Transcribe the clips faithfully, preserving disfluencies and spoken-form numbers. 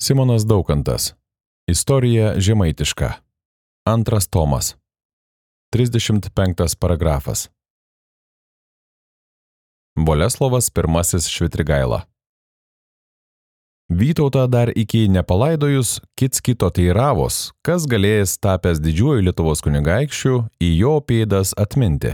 Simonas Daukantas. Istorija žemaitiška. Antras tomas. trisdešimt penktas paragrafas. Boleslovas pirmasis Švitrigaila. Vytautą dar iki nepalaidojus kits kito teiravos, kas galėjęs tapęs didžiuoju Lietuvos kunigaikščiu į jo pėdas atminti.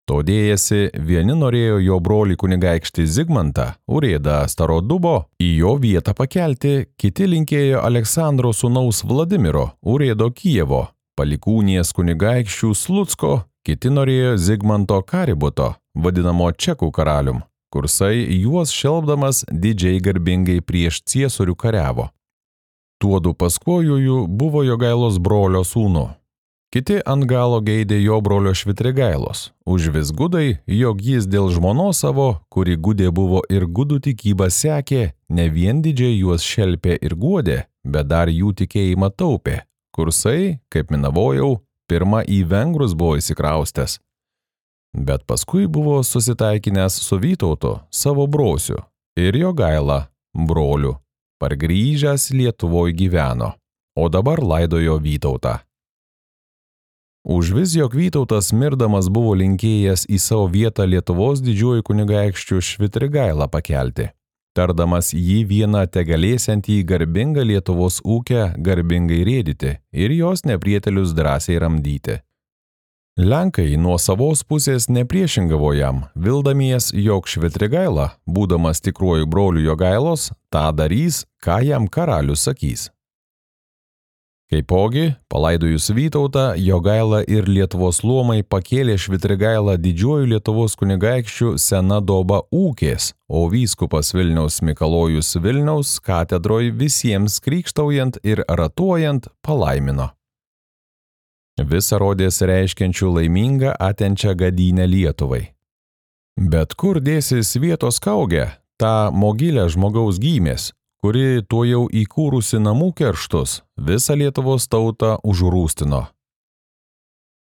Todėjasi vieni norėjo jo brolį kunigaikštį Zigmantą, Urėdą Starodubo, į jo vietą pakelti, kiti linkėjo Aleksandro sūnaus Vladimiro, Urėdo Kijevo, palikūnės kunigaikščių Slucko, kiti norėjo Zigmanto Kaributo, vadinamo Čekų karalium, kursai juos šelbdamas didžiai garbingai prieš ciesorių kariavo. Tuodu paskojųjų buvo Jogailos brolio sūnų. Kiti ant galo geidė jo brolio Švitrigailos, užvis gudai, jog jis dėl žmonos savo, kuri gudė buvo ir gudų tikybą sekė, ne vien didžiai juos šelpė ir guodė, bet dar jų tikėjimą taupė, kursai, kaip minavojau, pirma į vengrus buvo įsikraustęs. Bet paskui buvo susitaikinęs su Vytautu, savo brosiu, ir Jogaila, broliu, pargrįžęs Lietuvoj gyveno, o dabar laidojo Vytautą. Užvis, jog Vytautas mirdamas buvo linkėjęs į savo vietą Lietuvos didžiuoju kunigaikščiu Švitrigailą pakelti, tardamas jį vieną tegalėsiantį garbingą Lietuvos ūkę garbingai rėdyti ir jos neprietelius drąsiai ramdyti. Lenkai nuo savos pusės nepriešingavo jam, vildamies, jog Švitrigaila, būdamas tikruoju broliu Jogailos, tą darys, ką jam karalius sakys. Kaipogi, palaidojus Vytautą, Jogaila ir Lietuvos luomai pakėlė Švitrigailą didžiuoju Lietuvos kunigaikščiu sena doba ūkės, o vyskupas Vilniaus Mikalojus Vilniaus katedroj visiems krikštaujant ir ratuojant palaimino. Visa rodės reiškiančių laimingą atenčią gadynę Lietuvai. Bet kur dėsis vietos kaugė, tą mogilę žmogaus gymės, kuri tuo jau įkūrusi namų kerštus, visą Lietuvos tautą užrūstino.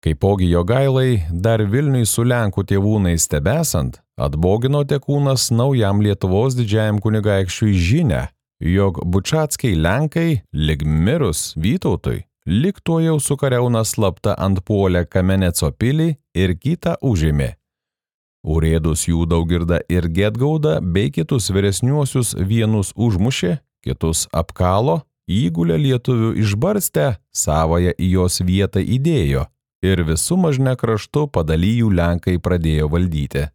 Kaipogi Jogailai, dar Vilniui su Lenkų tėvūnais tebesant, atbogino tekūnas naujam Lietuvos didžiajam kunigaikščiui žinią, jog bučackiai Lenkai, lig mirus Vytautui, lig tuo jau sukariauna slapta antpuolę Kameneco pilį ir kitą užėmė. Urėdus jų Daugirdą ir Gedgaudą bei kitus vyresniuosius vienus užmušė, kitus apkalo, įgulę lietuvių išbarstę, savąją į jos vietą įdėjo ir visų mažne kraštu padalijų Lenkai pradėjo valdyti.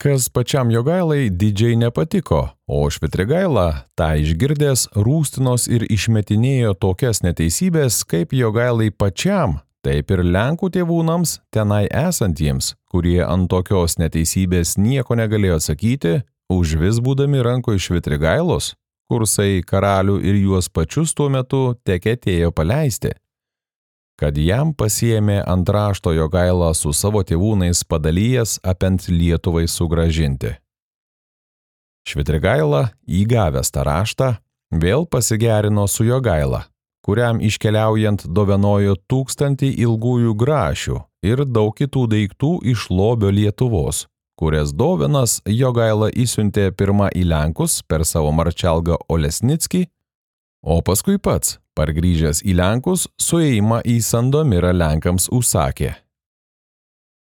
Kas pačiam Jogailai didžiai nepatiko, o Švitrigaila, tą išgirdęs, rūstinos ir išmetinėjo tokias neteisybės, kaip Jogailai pačiam, taip ir Lenkų tėvūnams tenai esantiems, kurie ant tokios neteisybės nieko negalėjo atsakyti, užvis būdami rankoj Švitrigailos, kursai karalių ir juos pačius tuo metu tekėtėjo paleisti, kad jam pasiėmė ant rašto Jogailą su savo tėvūnais padalijęs apent Lietuvai sugrąžinti. Švitrigaila, įgavęs tą raštą, vėl pasigerino su Jogaila, kuriam iškeliaujant dovanojo tūkstantį ilgųjų grašių ir daug kitų daiktų iš lobio Lietuvos, kurias dovanas Jogaila įsiuntė pirma į Lenkus per savo marčalgą Olesnickį, o paskui pats, pargrįžęs į Lenkus, suėjimą į Sandomirą Lenkams užsakė.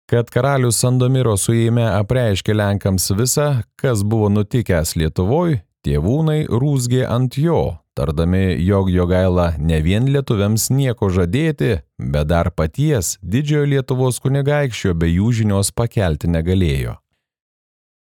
Kad karalius Sandomiro suėjime apreiškė Lenkams visą, kas buvo nutikęs Lietuvoj, tėvūnai rūzgė ant jo, tardami, jog Jogaila ne vien lietuviams nieko žadėti, bet dar paties didžiojo Lietuvos kunigaikščio be jų žinios pakelti negalėjo.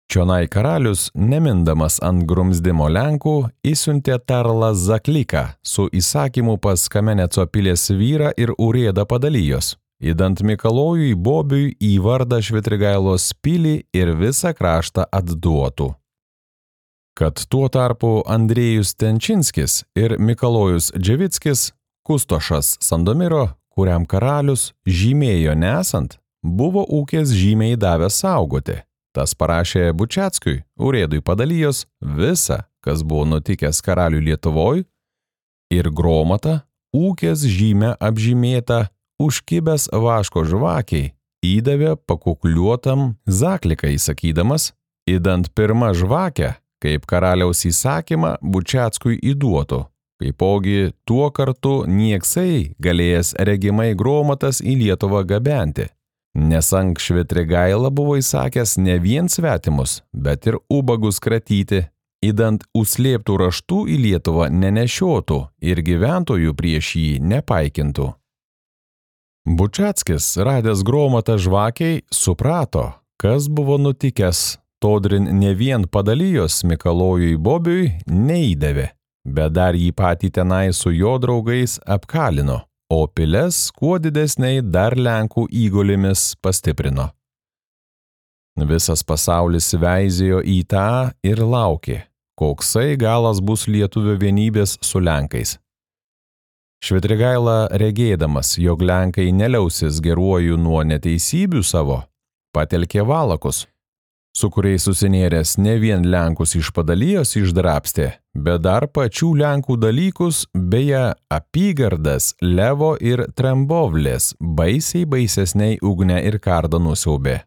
Čionai karalius, nemindamas ant grumzdimo Lenkų, įsiuntė tarlą Zakliką su įsakymu pas Kameneco pilės vyrą ir Urėdą padalijos, įdant Mikalojui Bobiui į vardą Švitrigailos pilį ir visą kraštą atduotų. Kad tuo tarpu Andrėjus Tenčinskis ir Mikalojus Dževickis, kustošas Sandomiro, kuriam karalius žymėjo nesant, buvo ūkės žymiai davęs saugoti. Tas parašė Bučiackiui, Urėdui padalijos, visą, kas buvo nutikęs karaliui Lietuvoj, ir Gromatą, ūkės žymę apžymėtą, užkibęs vaško žvakiai, įdavė pakukliuotam Zakliką įsakydamas, įdant pirmą žvakę, kaip karaliaus įsakymą Bučiackui įduotų, kaipogi tuo kartu nieksai galėjęs regimai Gromatas į Lietuvą gabenti, nes ank Švitrigaila buvo įsakęs ne vien svetimus, bet ir ubagus kratyti, įdant užslėptų raštų į Lietuvą nenešiotų ir gyventojų prieš jį nepaikintų. Bučiackis, radęs Gromatą žvakiai, suprato, kas buvo nutikęs, todrin ne vien padalijos Mikalojui Bobiui neįdavė, bet dar jį patį tenai su jo draugais apkalino, o piles kuo didesniai dar Lenkų įgulėmis pastiprino. Visas pasaulis veizėjo į tą ir laukė, koksai galas bus lietuvių vienybės su Lenkais. Švitrigaila, regėdamas, jog Lenkai neliausis geruoju nuo neteisybių savo, patelkė valakus, su kuriais susinėręs ne vien Lenkus iš padalijos išdrapstė, bet dar pačių Lenkų dalykus, beje, apygardas Levo ir Trembovlės baisiai baisesniai ugnę ir kardą nusiaubė.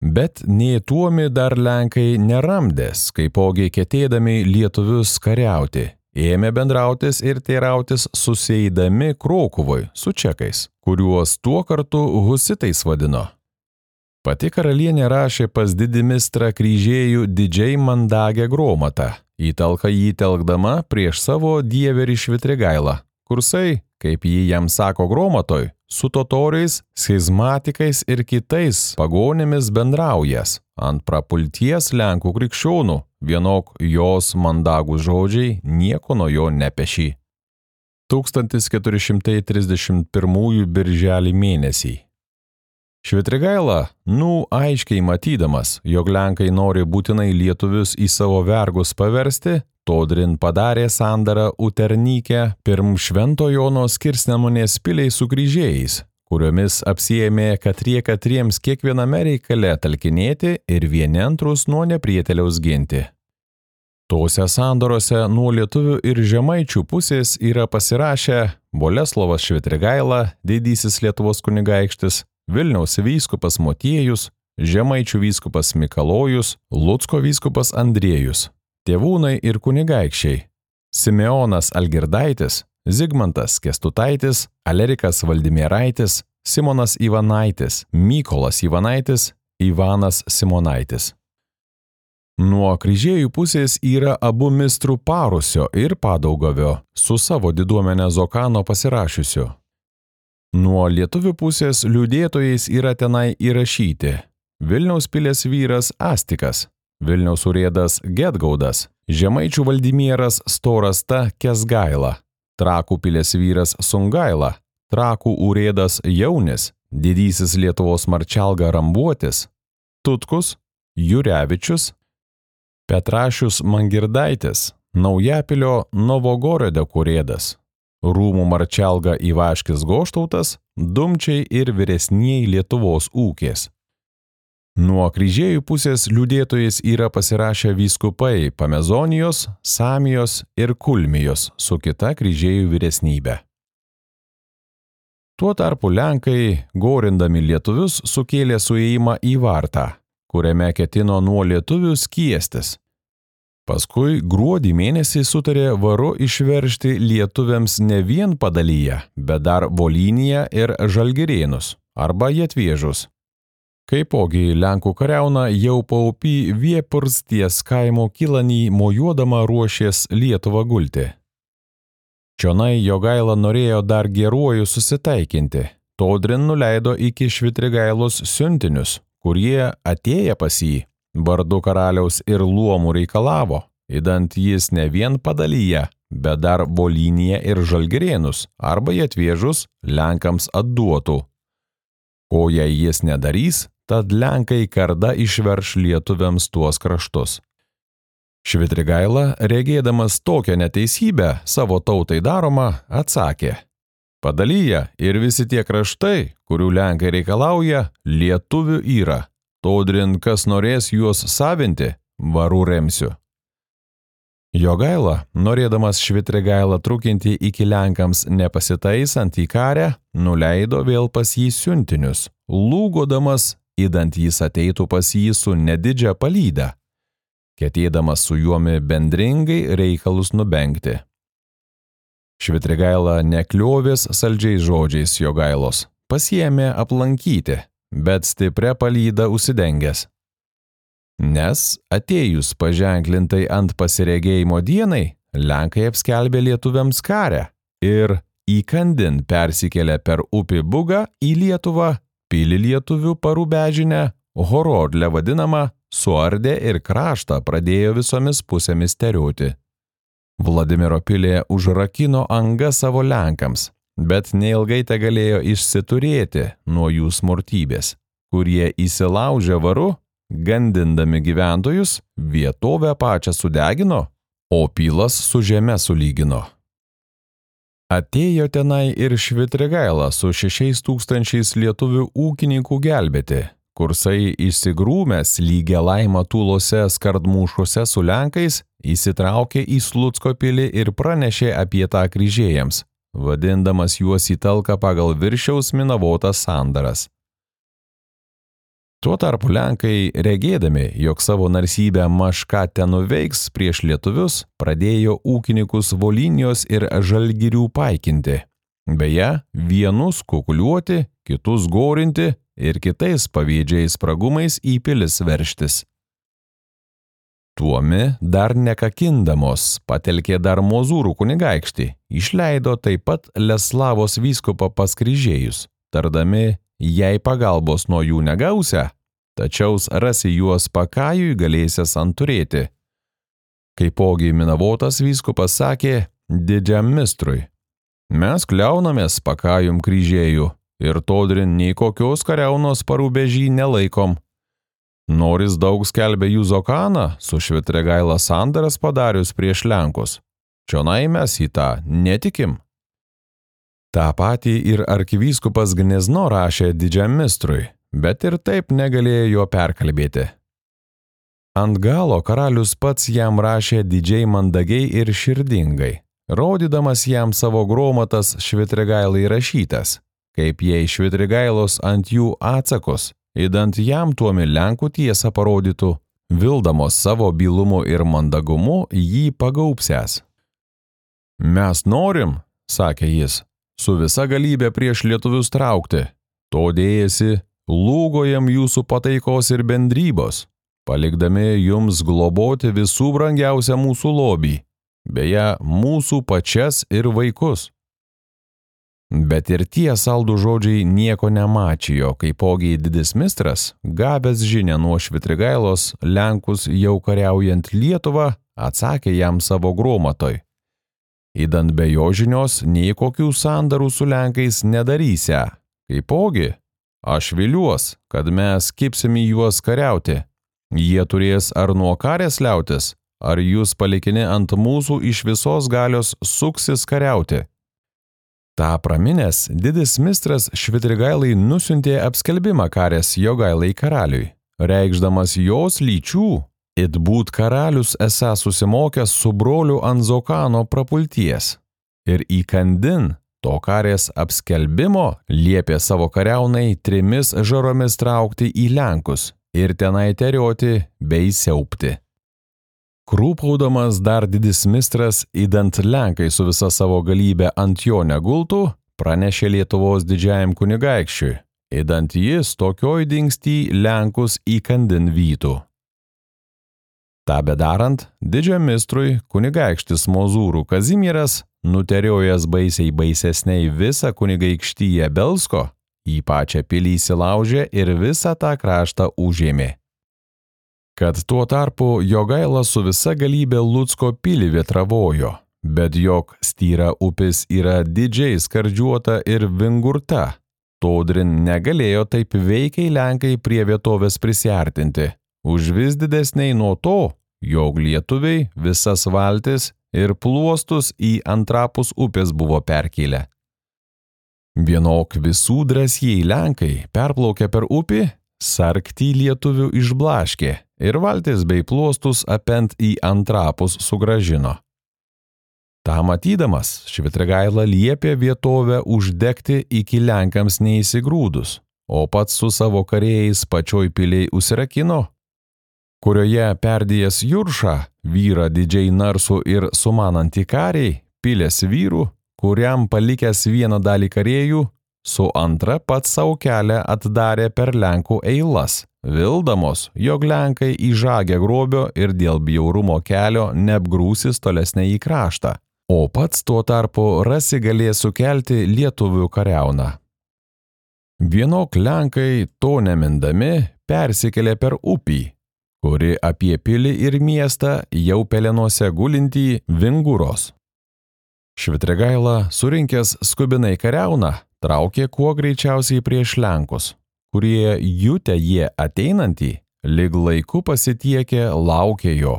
Bet nei tuomi dar Lenkai neramdės, kaipogi ketėdami lietuvius kariauti, ėmė bendrautis ir teirautis susieidami Krokuvoj su čekais, kuriuos tuo kartu husitais vadino. Pati karalienė rašė pas didimistrą kryžėjų didžiai mandagę Gromatą, į talką jį telkdama prieš savo dieverį Švitrigailą, kursai, kaip jį jam sako Gromatoj, su totoriais, schizmatikais ir kitais pagonėmis bendraujas, ant prapulties Lenkų krikščionų, vienok jos mandagūs žodžiai nieko nuo jo nepešį. tūkstantis keturi šimtai trisdešimt pirmųjų birželį mėnesį. Švitrigaila, nu aiškiai matydamas, jog Lenkai nori būtinai lietuvius į savo vergus paversti, todrin padarė sandarą Uternyke pirm Švento Jono skirsnemunės piliai su kryžiais, kuriomis apsiėmė katrie katriems kiekviename reikale talkinėti ir vieni antrus nuo neprieteliaus ginti. Tose sandorose nuo lietuvių ir žemaičių pusės yra pasirašę Boleslovas Švitrigaila, didysis Lietuvos kunigaikštis, Vilniaus vyskupas Motiejus, žemaičių vyskupas Mikalojus, Lucko vyskupas Andriejus, tėvūnai ir kunigaikščiai, Simeonas Algirdaitis, Zigmantas Kęstutaitis, Alerikas Valdimieraitis, Simonas Ivanaitis, Mykolas Ivanaitis, Ivanas Simonaitis. Nuo kryžiejų pusės yra abu mistrų Parusio ir Padaugavio su savo diduomene Zokano pasirašiusiu. Nuo lietuvių pusės liūdėtojais yra tenai įrašyti Vilniaus pilės vyras Astikas, Vilniaus urėdas Gedgaudas, žemaičių valdimieras Storasta Kesgaila, Trakų pilės vyras Sungaila, Trakų urėdas Jaunis, didysis Lietuvos marčalga Rambuotis, Tutkus, Jurevičius, Petrašius Mangirdaitis, Naujapilio Novogorodė urėdas, Rūmų marčalga Ivaškis Goštautas, Dumčiai ir vyresnieji Lietuvos ūkės. Nuo kryžiejų pusės liūdėtojais yra pasirašę vyskupai Pamezonijos, Samijos ir Kulmijos su kita kryžiejų vyresnybe. Tuo tarpu Lenkai, gorindami lietuvius, sukėlė suėjimą į Vartą, kuriame ketino nuo lietuvių skiestis. Paskui gruodį mėnesį sutarė varu išveržti lietuviams ne vien Padalyje, bet dar Volyniją ir Žalgirėnus arba Jetvėžus. Kaipogi Lenkų kariauna jau paupy Viepursties kaimo Kilanį mojuodama ruošės Lietuvą gulti. Čionai Jogaila norėjo dar geruoju susitaikinti, todrin nuleido iki Švitrigailos siuntinius, kurie atėję pas jį vardu karaliaus ir luomų reikalavo, įdant jis ne vien Padalyje, bet dar Volyniją ir Žalgirėnus arba Jetvėžus Lenkams atduotų. Ko jei jis nedarys, tad Lenkai karda išverš lietuviams tuos kraštus. Švitrigaila, regėdamas tokią neteisybę savo tautai daromą, atsakė: Padalyje ir visi tie kraštai, kurių Lenkai reikalauja, lietuvių yra. Todrin, kas norės juos savinti, varu remsiu. Jogaila, norėdamas Švitrigailą trukinti iki Lenkams nepasitaisant į karę, nuleido vėl pas jį siuntinius, lūgodamas, įdant jis ateitų pas jį su nedidžia palyda. ketėdamas su juomi bendringai reikalus nubengti. Švitrigaila nekliovės saldžiais žodžiais Jogailos, pasiėmė aplankyti, bet stiprią palydą užsidengęs. Nes atėjus paženklintai ant pasiregėjimo dienai, Lenkai apskelbė lietuviams karę ir įkandin persikėlė per upį Bugą į Lietuvą, pilį lietuvių Parubežinę, Horodlę vadinamą, suardė ir kraštą pradėjo visomis pusėmis terioti. Vladimiro pilė užrakino angą savo Lenkams, bet neilgai te galėjo išsiturėti nuo jų smurtybės, kurie įsilaužė varu, gandindami gyventojus, vietovę pačią sudegino, o pilas su žeme sulygino. Atėjo tenai ir Švitrigaila su šešiais tūkstančiais lietuvių ūkininkų gelbėti, kursai išsigrūmęs lygia laima tūlose skardmūšuose su Lenkais, įsitraukė į Slucko pilį ir pranešė apie tą kryžėjams, vadindamas juos į talką pagal viršiaus minavotas sandaras. Tuo tarpu Lenkai, regėdami, jog savo narsybę mažką ten nuveiks prieš lietuvius, pradėjo ūkininkus Volynios ir Žalgirių paikinti. Beje, vienus kukuliuoti, kitus gorinti ir kitais pavydžiais spragumais į pilis verštis. Tuomi dar nekakindamos patelkė dar Mozūrų kunigaikštį, išleido taip pat Leslavos vyskupą pas kryžėjus, tardami, jei pagalbos nuo jų negausia, tačiau rasi juos Pakajui galėsias anturėti. Kaipogi minavotas vyskupas sakė didžiam mistrui, mes kliaunamės Pakajum kryžėjų ir todrin nei kokios kariaunos Parubežį nelaikom. Noris daug skelbė Juzokaną su Švitrigaila sandaras padarius prieš Lenkus. Čionai mes į tą netikim. Ta patį ir arkivyskupas Gnezno rašė didžiam mistrui, bet ir taip negalėjo jo perkalbėti. Ant galo karalius pats jam rašė didžiai mandagiai ir širdingai, rodydamas jam savo gromatas Švitrigailai rašytas, kaip jei Švitrigailos ant jų atsakus, įdant jam tuomi Lenkų tiesą parodytų, vildamos savo bylumu ir mandagumu jį pagaupsęs. Mes norim, sakė jis, su visa galybė prieš lietuvius traukti, to dėjasi, lūgojam jūsų pataikos ir bendrybos, palikdami jums globoti visų brangiausią mūsų lobį, beje, mūsų pačias ir vaikus. Bet ir tie saldų žodžiai nieko nemačijo, kaipogi didis mistras, gavęs žinią nuo Švitrigailos, Lenkus jau kariaujant Lietuvą, atsakė jam savo gromatoj. Įdant be jo žinios, nei kokių sandarų su Lenkais nedarysia, kaipogi, aš viliuos, kad mes kipsim į juos kariauti. Jie turės ar nuo karės liautis, ar jūs palikini ant mūsų iš visos galios suksis kariauti. Ta praminės, didis mistras Švitrigailai nusiuntė apskelbimą karės Jogailai karaliui, reikšdamas jos lyčių, it būt karalius esą susimokęs su broliu Anzokano prapulties. Ir įkandin to karės apskelbimo liepė savo kariaunai trimis žaromis traukti į Lenkus ir tenai terioti bei siaupti. Krūpaudamas dar didis mistras, įdant Lenkai su visa savo galybė ant jo negultų, pranešė Lietuvos didžiajam kunigaikščiui, įdant jis tokioj dingstį Lenkus įkandin vytų. Ta bedarant, didžiam mistrui kunigaikštis Mozūrų Kazimieras, nuteriojęs baisiai baisesniai visą kunigaikštyje Belsko, į pačią pilį įsilaužė ir visą tą kraštą užėmė. Kad tuo tarpu Jogaila su visa galybė Lucko pilį vietravojo, bet jog Styra upis yra didžiai skardžiuota ir vingurta, todrin negalėjo taip veikiai Lenkai prie vietovės prisiartinti, už vis didesniai nuo to, jog lietuviai visas valtis ir pluostus į antrapus upės buvo perkėlę. Vienok visų drąsiai Lenkai perplaukė per upį, sarktį lietuvių išblaškė ir valtis bei pluostus apent į antrapus sugražino. Ta matydamas, Švitrigaila liepė vietovę uždegti iki Lenkams neįsigrūdus, o pats su savo karėjais pačioj piliai užsirakino. kurioje perdėjęs Juršą, vyrą didžiai narsų ir sumanantį kariai, pilės vyrų, kuriam palikęs vieną dalį karėjų, su antra pats savo kelią atdarė per Lenkų eilas, vildamos, jog Lenkai įžagę grobio ir dėl bjaurumo kelio neapgrūsis tolesnę į kraštą, o pats tuo tarpu rasi galės sukelti lietuvių kariauną. Vienok Lenkai, to nemindami, persikėlė per upį, kuri apie pilį ir miestą jau pelenuose gulintį Vinguros. Švitrigaila, surinkęs skubinai kariauną, traukė kuo greičiausiai prieš Lenkus, kurie jutę jie ateinantį, lyg laiku pasitiekė laukė jo.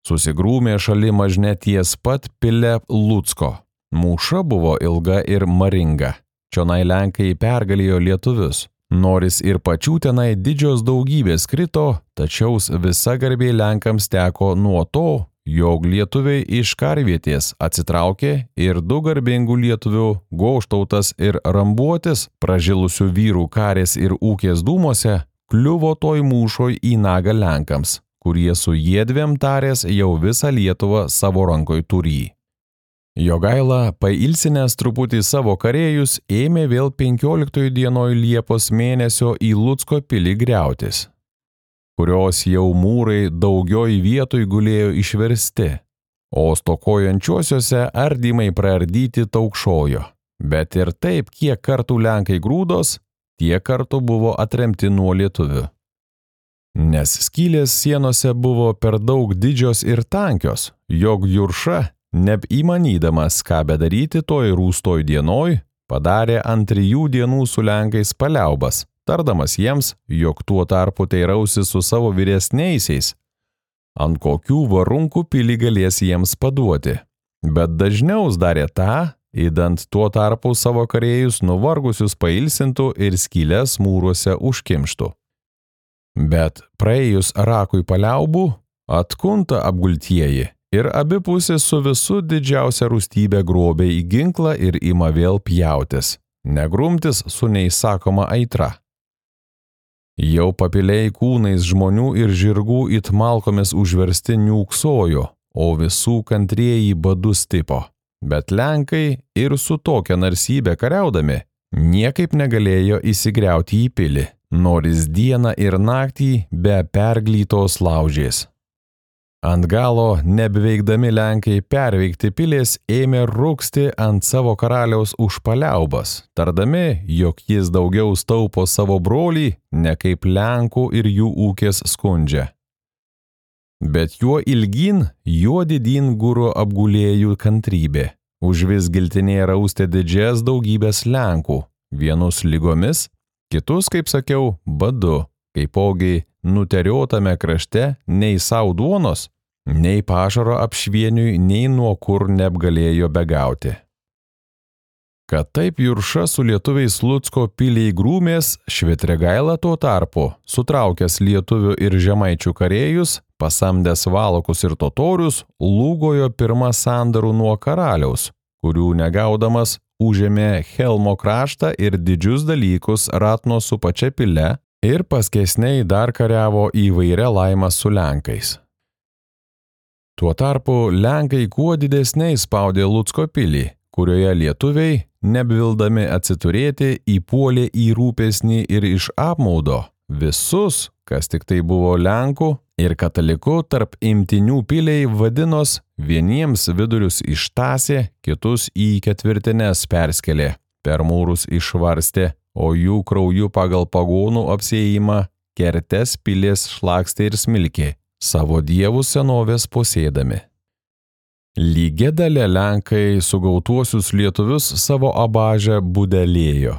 Susigrūmė šali mažne ties pat pile Lucko. Mūša buvo ilga ir maringa. Čionai Lenkai pergalėjo lietuvius. Noris ir pačių tenai didžios daugybės krito, tačiau visa garbė Lenkams teko nuo to, jog lietuviai iš karvietės atsitraukė ir du garbingų lietuvių Goštautas ir Rambuotis, pražilusių vyrų karės ir ūkės dūmose, kliuvo toj mūšoj į nagą Lenkams, kurie su jiedviem tarės jau visą Lietuvą savo rankoj turį. Jogaila, pailsinęs truputį savo karėjus, ėmė vėl penkioliktoj dienoj Liepos mėnesio į Lucko pilį griautis, kurios jau mūrai daugioj vietoj gulėjo išversti, o stokojančiuosiuose ardymai praardyti taukšojo. Bet ir taip, kiek kartų Lenkai grūdos, tiek kartų buvo atremti nuo lietuvių. Nes skylės sienose buvo per daug didžios ir tankios, jog Jurša, neįmanydamas ką bedaryti toj rūstoj dienoj, padarė ant trijų dienų su Lenkais paliaubas, tardamas jiems, jog tuo tarpu teirausi su savo vyresniaisiais, ant kokių varunkų pilį galės jiems paduoti. Bet dažniau darė tą, įdant tuo tarpu savo karėjus nuvargusius pailsintų ir skylės mūruose užkimštų. Bet praėjus rakui paliaubų, atkunta apgultieji ir abi pusės su visu didžiausia rūstybė grobė į ginklą ir ima vėl pjautis, negrumtis su neįsakoma aitra. Jau papiliai kūnais žmonių ir žirgų it malkomis užversti niūksojo, o visų kantrieji badu stipo. Bet Lenkai ir su tokia narsybė kariaudami niekaip negalėjo įsigriauti į pilį, noris dieną ir naktį be perglytos laužės. Ant galo, nebeveikdami Lenkai perveikti pilės, ėmė rūksti ant savo karaliaus už paliaubas, tardami, jog jis daugiau staupo savo brolį, ne kaip Lenkų ir jų ūkės skundžia. Bet juo ilgyn, juo didyn guro apgulėjų kantrybė, užvis giltinėje raustė didžias daugybės Lenkų, vienus lygomis, kitus, kaip sakiau, badu, kaipogi nuteriotame krašte nei sau duonos, nei pašaro apšvieniui, nei nuo kur neapgalėjo begauti. Kad taip Jurša su lietuviais Lucko piliai grūmės, Švitrigaila tuo tarpu, sutraukęs lietuvių ir žemaičių karėjus, pasamdęs valakus ir totorius, lūgojo pirmą sandarų nuo karaliaus, kurių negaudamas užėmė Helmo kraštą ir didžius dalykus ratno su pačia pile, ir paskesniai dar kariavo įvairia laimą su Lenkais. Tuo tarpu Lenkai kuo didesniai spaudė Lucko pilį, kurioje lietuviai, nebevildami atsiturėti, įpuolė į rūpesnį ir iš apmaudo visus, kas tik tai buvo Lenkų ir katalikų tarp imtinių piliai vadinos, vieniems vidurius ištasė, kitus į ketvirtines perskelė, per mūrus išvarstė, o jų krauju pagal pagonų apsiėjimą kertes pilės šlakstė ir smilkė, savo dievų senovės posėdami. Lygia dalė Lenkai sugautuosius lietuvius savo abažę budelėjo.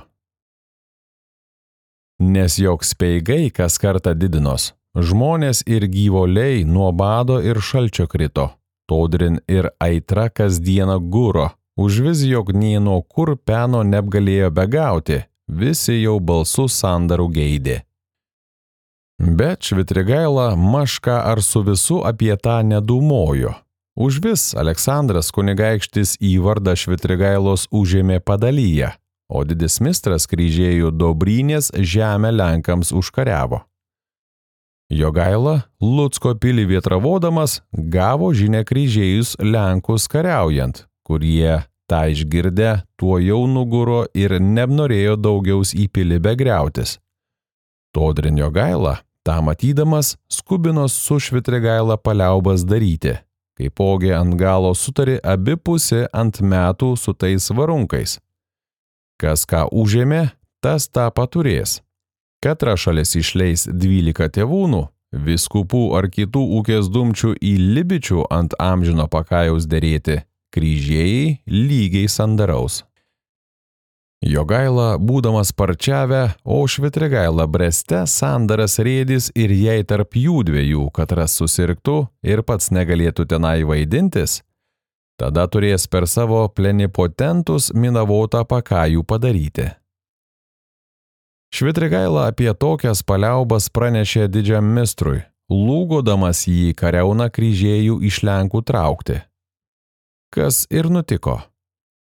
Nes joks speigai kas kartą didinos, žmonės ir gyvoliai nuo bado ir šalčio krito, todrin ir aitra kasdieną guro, užvis jog nei nuo kur peno neapgalėjo begauti, visi jau balsų sandarų geidė. Bet Švitrigaila maška ar su visu apie tą nedūmojo. Užvis Aleksandras kunigaikštis į vardą Švitrigailos užėmė Padalyje, o didis mistras kryžėjų Dobrynės žemę Lenkams užkariavo. Jogaila, Lucko pilį vietravodamas, gavo žinią kryžiejus Lenkus kariaujant, kurie, tą išgirdę, tuo jau nuguro ir nenorėjo daugiaus į pilį begriautis. Todrin Jogaila, tą matydamas, skubinos su Švitrigaila paliaubas daryti, kaipogi ant galo sutari abi pusė ant metų su tais varunkais. Kas ką užėmė, tas tą paturės. Katra šalis išleis dvylika tėvūnų, vyskupų ar kitų ūkės dumčių į Libičių ant amžino pakajaus derėti, kryžiejai lygiai sandaraus. Jogaila, būdamas Parčiave, o Švitrigaila Breste sandaras rėdis ir jei tarp jų dviejų katras susirgtų ir pats negalėtų tenai vaidintis, tada turės per savo plenipotentus minavotą pakajų padaryti. Švitrigaila apie tokias paliaubas pranešė didžiam mistrui, lūgodamas jį kariauną kryžiejų iš Lenkų traukti. Kas ir nutiko.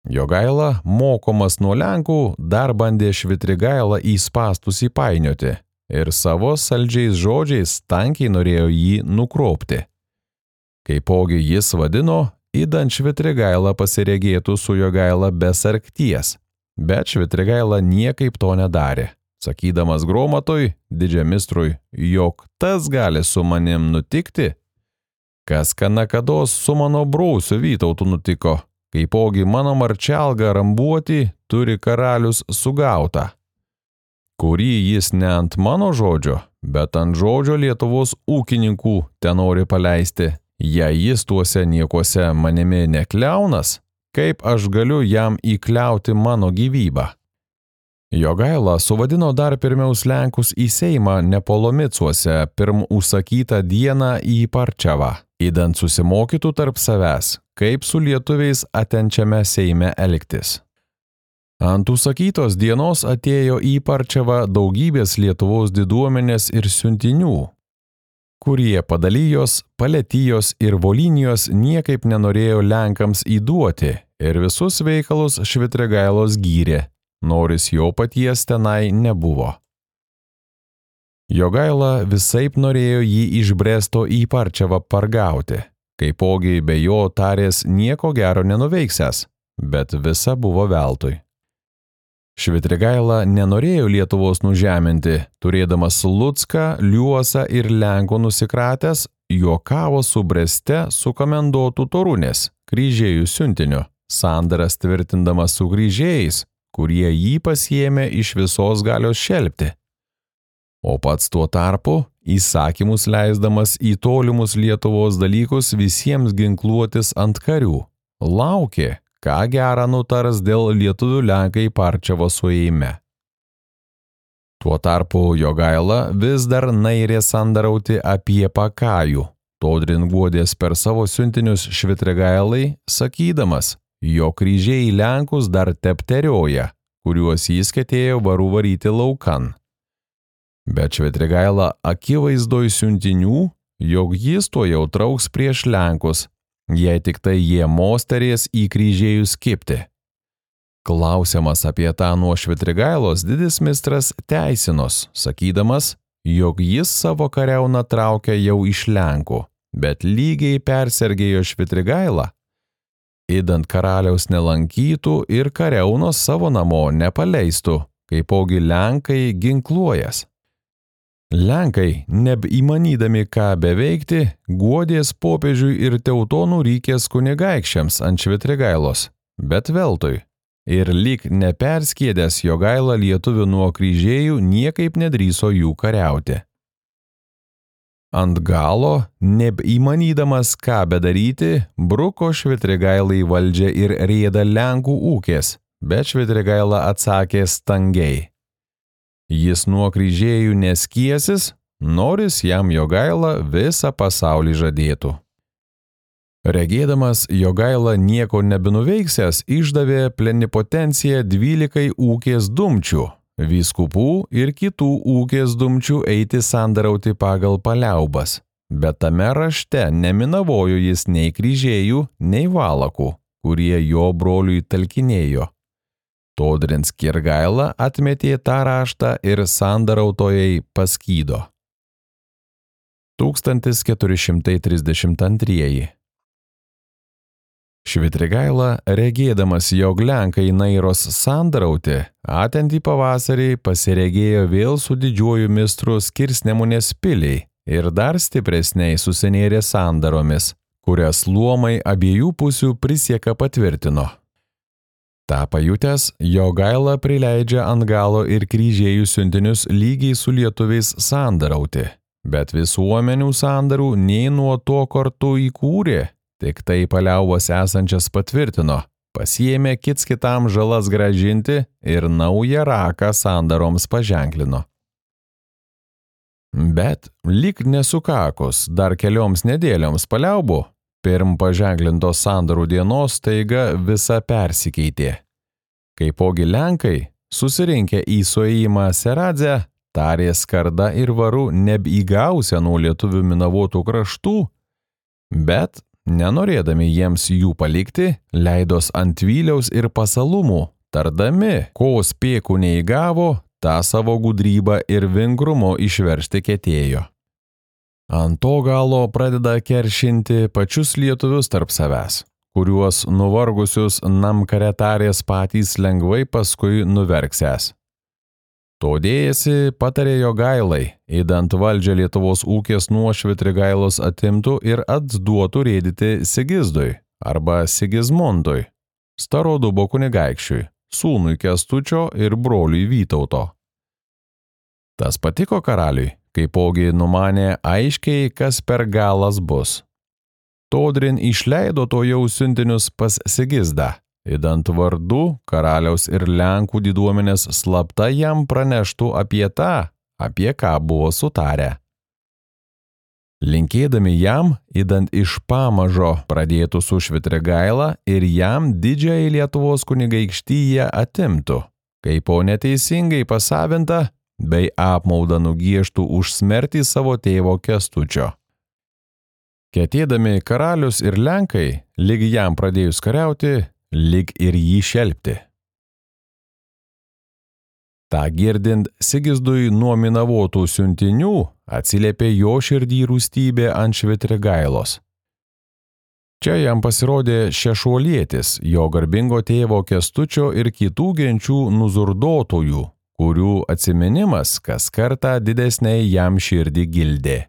Jogaila, mokomas nuo Lenkų, dar bandė Švitrigailą į spąstus įpainioti ir savo saldžiais žodžiais tankiai norėjo jį nukropti. Kaipogi jis vadino, idant Švitrigaila pasiregėtų su Jogaila be sargties, bet Švitrigaila niekaip to nedarė, sakydamas Gromatui, didžiamistrui, jog tas gali su manim nutikti, kas kanakados su mano brausiu Vytautu nutiko, kaipogi mano marčelgą rambuoti turi karalius sugautą, kurį jis ne ant mano žodžio, bet ant žodžio Lietuvos ūkininkų tenori paleisti. Jei jis tuose niekuose manimi nekliaunas, kaip aš galiu jam įkliauti mano gyvybą? Jogaila suvadino dar pirmiaus Lenkus į Seimą Nepolomicuose pirm užsakytą dieną į Parčiavą, idant susimokytų tarp savęs, kaip su lietuviais atenčiame Seime elgtis. Ant užsakytos dienos atėjo į Parčiavą daugybės Lietuvos diduomenės ir siuntinių, kurie Padalijos, Paletijos ir Volinijos niekaip nenorėjo Lenkams įduoti ir visus veikalus Švitrigailos gyrė, noris jo paties tenai nebuvo. Jogaila visaip norėjo jį iš Bresto į Parčiavą pargauti, kaipogi be jo tarės nieko gero nenuveiksęs, bet visa buvo veltui. Švitrigaila nenorėjo Lietuvos nužeminti, turėdamas Lucką, Liuosą ir Lenkų nusikratęs, juokavo su Breste su komendotų Torunės, kryžiejų siuntiniu, sandaras tvirtindamas su kryžiejais, kurie jį pasiėmė iš visos galios šelpti. O pats tuo tarpu įsakymus leisdamas į tolimus Lietuvos dalykus visiems ginkluotis ant karių, laukė, ką gerą nutars dėl lietuvių Lenkai Parčiavo suėjime. Tuo tarpu Jogaila vis dar nairė sandarauti apie pakajų, todrin guodės per savo siuntinius Švitrigailai, sakydamas, jo kryžiai Lenkus dar tepterioja, kuriuos jis ketėjo varų varyti laukan. Bet Švitrigaila akivaizdoj siuntinių, jog jis tuo jau trauks prieš Lenkus, jei tik tai jie mosterės į kryžiejus kibti. Klausiamas apie tą nuo Švitrigailos didis mistras teisinos, sakydamas, jog jis savo kariauną traukia jau iš Lenkų, bet lygiai persergėjo Švitrigailą, idant karaliaus nelankytų ir kariaunos savo namo nepaleistų, kaipogi Lenkai ginkluojas. Lenkai, nebeįmanydami ką beveikti, guodės popiežiui ir teutonų rykės kunigaikščiams ant Švitrigailos, bet veltui, ir lyg neperskiedęs Jogaila lietuvių nuo kryžiejų niekaip nedrįso jų kariauti. Ant galo, nebeįmanydamas ką bedaryti, bruko Švitrigailai valdžią ir rėda Lenkų ūkės, bet Švitrigaila atsakė stangiai. Jis nuo kryžiejų neskiesis, noris jam Jogaila visą pasaulį žadėtų. Regėdamas Jogaila nieko nebenuveiksęs, išdavė plenipotenciją dvylikai ūkės dumčių, vyskupų ir kitų ūkės dumčių eiti sandarauti pagal paliaubas, bet tame rašte neminavojo jis nei kryžiejų, nei valakų, kurie jo broliui talkinėjo. Todrin Skirgaila atmetė tą raštą ir sandarautojai paskydo. tūkstantis keturi šimtai trisdešimt antrieji. Švitrigaila, regėdamas, jog lenkai nairos sandarauti, atentį pavasarį pasiregėjo vėl su didžiuoju mistru Skirsnemunės piliai ir dar stipresniai susinėrė sandaromis, kurias luomai abiejų pusių prisieka patvirtino. Ta pajutęs, Jogaila prileidžia ant galo ir kryžėjų siuntinius lygiai su lietuviais sandarauti, bet visuomenių sandarų nei nuo to kartu įkūrė, tik tai paliaubos esančias patvirtino, pasiėmė kits kitam žalas grąžinti ir naują raką sandaroms paženklino. Bet lyg nesukakus dar kelioms nedėlioms paliaubų, pirm paženklintos sandarų dienos staiga visa persikeitė. Kaipogi lenkai, susirinkę į suėjimą Seradzę, tarė skarda ir varu nebeįgausia nuo lietuvių minavotų kraštų, bet nenorėdami jiems jų palikti, leidos ant vyliaus ir pasalumų, tardami, ko spėkų neįgavo, tą savo gudrybą ir vingrumo išveršti ketėjo. Ant to galo pradeda keršinti pačius lietuvius tarp savęs, kuriuos nuvargusius namkaretarės patys lengvai paskui nuverksęs. Todėjasi patarė Jogailai, įdant valdžią Lietuvos ūkės nuo Švitrigailos atimtų ir atduotų rėdyti Sigizdui arba Sigismundui, Starodubo kunigaikščiui, sūnui Kęstučio ir broliui Vytauto. Tas patiko karaliui, kaipogi numanė aiškiai, kas per galas bus. Todrin išleido to jau siuntinius pas Sigizdą, įdant vardu karaliaus ir Lenkų diduomenės slapta jam praneštų apie tą, apie ką buvo sutarę. Linkėdami jam, įdant iš pamažo pradėtų su Švitrigaila ir jam didžiąją Lietuvos kunigaikštiją atimtų, kaipo neteisingai pasavinta, bei apmaudą nugiežtų už smertį savo tėvo Kęstučio. Ketėdami karalius ir Lenkai, lyg jam pradėjus kariauti, lyg ir jį šelpti. Ta girdint Sigizdui nuo minavotų siuntinių atsiliepė jo širdį rūstybė ant Švitrigailos. Čia jam pasirodė šešuolietis, jo garbingo tėvo Kęstučio ir kitų genčių nuzurdotojų, kurių atsiminimas kas kartą didesniai jam širdį gildė.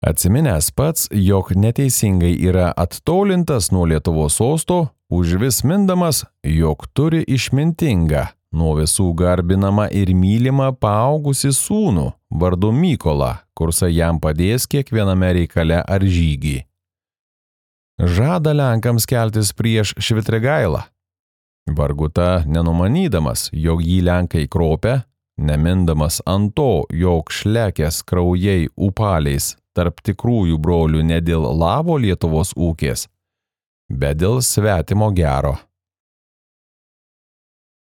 Atsiminęs pats, jog neteisingai yra attolintas nuo Lietuvos sosto, užvis mindamas, jog turi išmintingą, nuo visų garbinamą ir mylimą paaugusi sūnų, vardu Mykolą, kursą jam padės kiekviename reikale ar žygį. Žada Lenkams keltis prieš Švitrigailą. Varguta nenumanydamas, jog jį Lenkai kropia, nemindamas ant to, jog šlekės kraujai upaliais tarp tikrųjų brolių ne dėl lavo Lietuvos ūkės, bet dėl svetimo gero.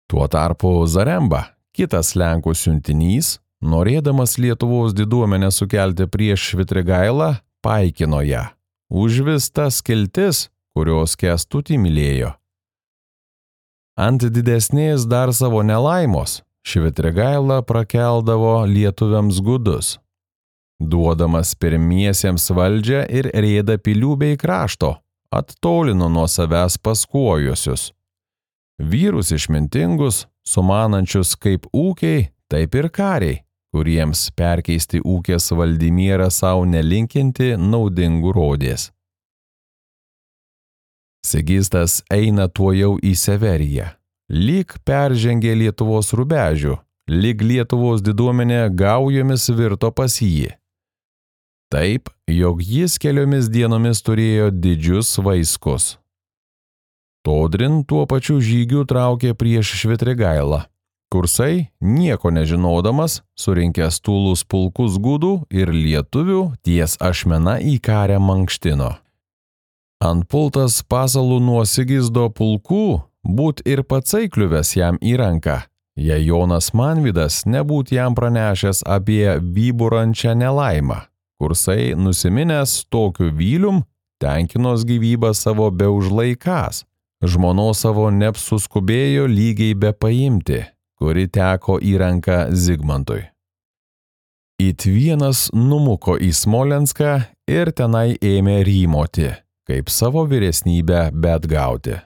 Tuo tarpu Zaremba, kitas Lenkų siuntinys, norėdamas Lietuvos diduomenę sukelti prieš Švitrigailą, paikino ją, užvis tas skiltis, kurios Kęstutį mylėjo. Ant didesnės dar savo nelaimos, Švitrigaila prakeldavo lietuviams gudus, duodamas pirmiesiems valdžią ir rėdą pilių bei krašto, attolino nuo savęs paskuojusius. Vyrus išmintingus, sumanančius kaip ūkiai, taip ir kariai, kuriems perkeisti ūkės valdymierą savo nelinkinti naudingų rodės. Sigistas eina tuojau į Severiją, lyg peržengė Lietuvos rubežių, lyg Lietuvos diduomenė gaujomis virto pas jį. Taip, jog jis keliomis dienomis turėjo didžius vaiskus. Todrin tuo pačiu žygiu traukė prieš Švitrigailą. Kursai, nieko nežinodamas, surinkęs tūlus pulkus gudų ir lietuvių ties ašmena į karę mankštino. Antpultas pasalų nuo Sigizdo pulkų būt ir patsai kliuvęs jam į ranką, jei Jonas Manvydas nebūt jam pranešęs apie vyburančią nelaimą. Kursai, nusiminęs tokiu vylium, tenkinos gyvybą savo be užlaikas, žmonos savo neapsuskubėjo lygiai be paimti, kuri teko į ranką Zigmantui. It vienas numuko į Smolenską ir tenai ėmė rymoti, kaip savo vyresnybę beatgauti.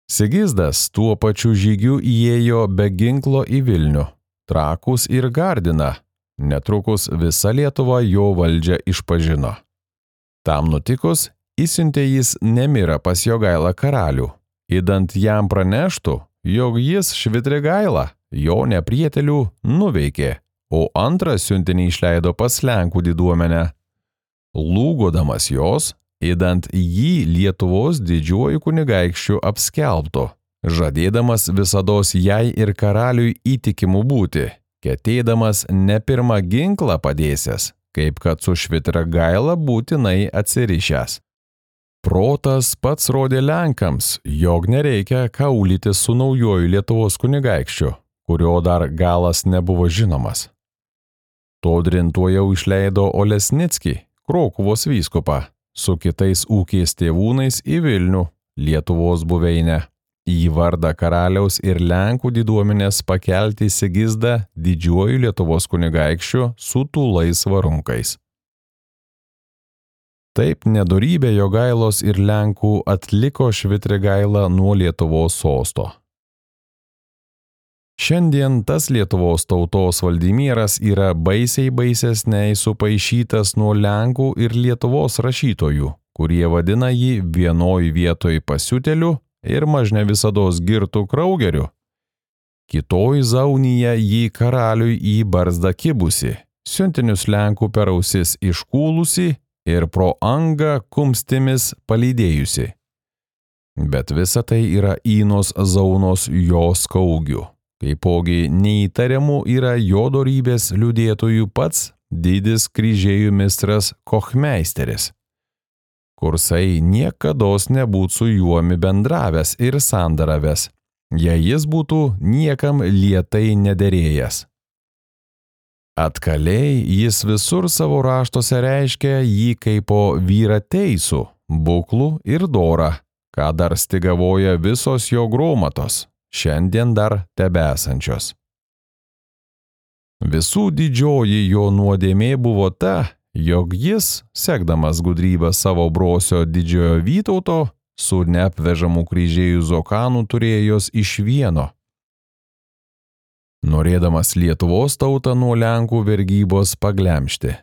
Sigizdas tuo pačiu žygiu įėjo be ginklo į Vilnių, Trakus ir Gardiną. Netrukus visa Lietuva jo valdžią išpažino. Tam nutikus, įsiuntė jis Nemirą pas Jogailą karalių, idant jam praneštų, jog jis Švitrigailą, jo neprietelių, nuveikė, o antrą siuntinį išleido pas Lenkų diduomenę. Lūgodamas jos, idant jį Lietuvos didžiuoju kunigaikščiu apskelbtų, žadėdamas visados jai ir karaliui įtikimu būti, ketėdamas ne pirmą ginklą padėsęs, kaip kad su Švitrigaila būtinai atsirišęs. Protas pats rodė Lenkams, jog nereikia kaulyti su naujoju Lietuvos kunigaikščiu, kurio dar galas nebuvo žinomas. Todrin tuojau išleido Olesnickį, Krokuvos vyskupą, su kitais ūkiais tėvūnais į Vilnių, Lietuvos buveinę, į vardą karaliaus ir Lenkų diduomenės pakelti Sigizdą didžiuoju Lietuvos kunigaikščiu su tūlais varunkais. Taip nedorybė Jogailos ir Lenkų atliko Švitrigailą nuo Lietuvos sosto. Šiandien tas Lietuvos tautos valdymieras yra baisiai baisesniai supaišytas nuo Lenkų ir Lietuvos rašytojų, kurie vadina jį vienoj vietoj pasiuteliu ir mažne visados girtų kraugeriu. Kitoj zaunyje jį karaliui į barzdą kibusi, siuntinius Lenkų per ausis iškūlusi ir pro angą kumstimis palydėjusi. Bet visa tai yra Įnos zaunos jo skaugių. Kaipogi neįtariamų yra jo dorybės liudėtojų pats didis kryžėjų mistras Kochmeisteris. Kursai niekados nebūt su juomi bendravęs ir sandaravęs, jei jis būtų niekam lietai nederėjęs. Atkaliai jis visur savo raštuose reiškia jį kaipo vyrą teisų, buklų ir dorą, ką dar stigavoja visos jo gromatos, šiandien dar tebesančios. Visų didžioji jo nuodėmė buvo ta, jog jis, sekdamas gudrybę savo brosio didžiojo Vytauto, su neapvežamų kryžėjų Zokanu turėjos iš vieno. Norėdamas Lietuvos tautą nuo Lenkų vergybos paglemžti.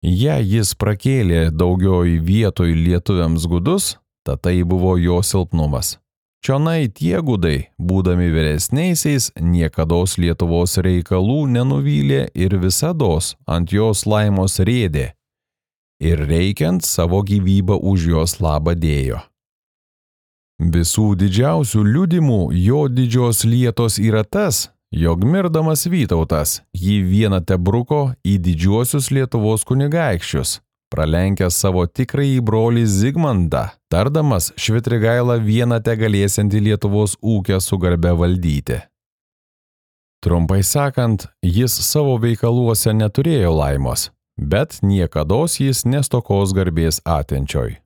Jei jis prakėlė daugioj vietoj lietuviams gudus, ta tai buvo jo silpnumas. Čionai tie gudai, būdami vyresniaisiais, niekados Lietuvos reikalų nenuvylė ir visados ant jos laimos rėdė, ir reikiant savo gyvybę už jos labą dėjo. Visų didžiausių liudimų jo didžios lietos yra tas, jog mirdamas Vytautas jį vieną tebruko į didžiuosius Lietuvos kunigaikščius, pralenkęs savo tikrąjį brolį Zigmandą, tardamas Švitrigailą vieną tegalėsiantį Lietuvos ūkę su garbe valdyti. Trumpai sakant, jis savo veikaluose neturėjo laimos, bet niekados jis nestokos garbės atenčioj.